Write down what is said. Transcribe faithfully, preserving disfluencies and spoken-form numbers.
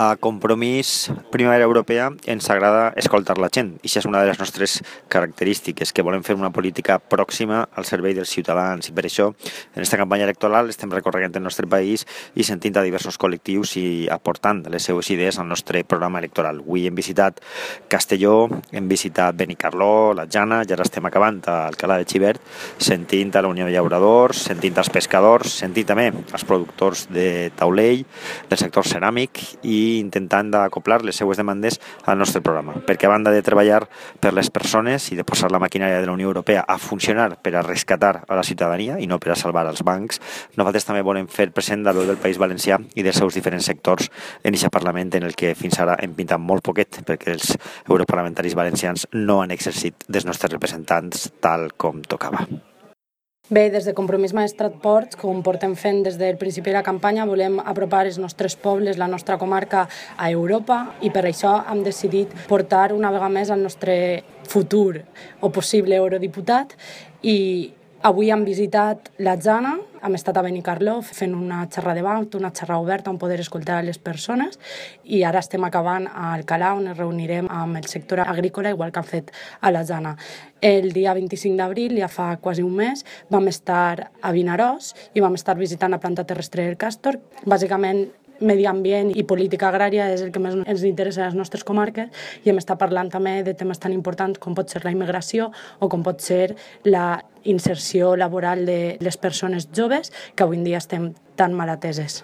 A Compromís Primavera Europea ens agrada escoltar la gent i això és una de les nostres característiques, que volem fer una política pròxima al servei dels ciutadans i per això en aquesta campanya electoral estem recorregant el nostre país i sentint a diversos col·lectius i aportant les seues idees al nostre programa electoral. Avui hem visitat Castelló, hem visitat Benicarló, la Jana i ara estem acabant a Alcalà de Xivert sentint a la Unió de Llauradors, sentint els pescadors, sentint també els productors de taulell, del sector ceràmic i intentant d'acoplar les seues demandes al nostre programa, perquè a banda de treballar per les persones i de posar la maquinària de la Unió Europea a funcionar per a rescatar a la ciutadania i no per a salvar els bancs, nosaltres també volem fer present la veu del País Valencià i dels seus diferents sectors en aquest Parlament en el que fins ara hem pintat molt poquet perquè els europarlamentaris valencians no han exercit dels nostres representants tal com tocava. Bé, des de Compromís Maestrat Ports, com portem fent des del principi de la campanya, volem apropar els nostres pobles, la nostra comarca, a Europa i per això hem decidit portar una vegada més el nostre futur o possible eurodiputat i avui hem visitat la Jana, hem estat a Benicarló fent una xerrada de banc, una xerrada oberta on poder escoltar les persones i ara estem acabant a Alcalà on ens reunirem amb el sector agrícola igual que han fet a la Jana. El dia vint-i-cinc d'abril, ja fa quasi un mes, vam estar a Vinaròs i vam estar visitant la planta terrestre del Càstor. Bàsicament, medi ambient i política agrària és el que més ens interessa a les nostres comarques i hem estat parlant també de temes tan importants com pot ser la immigració o com pot ser la inserció laboral de les persones joves que avui en dia estem tan mal ateses.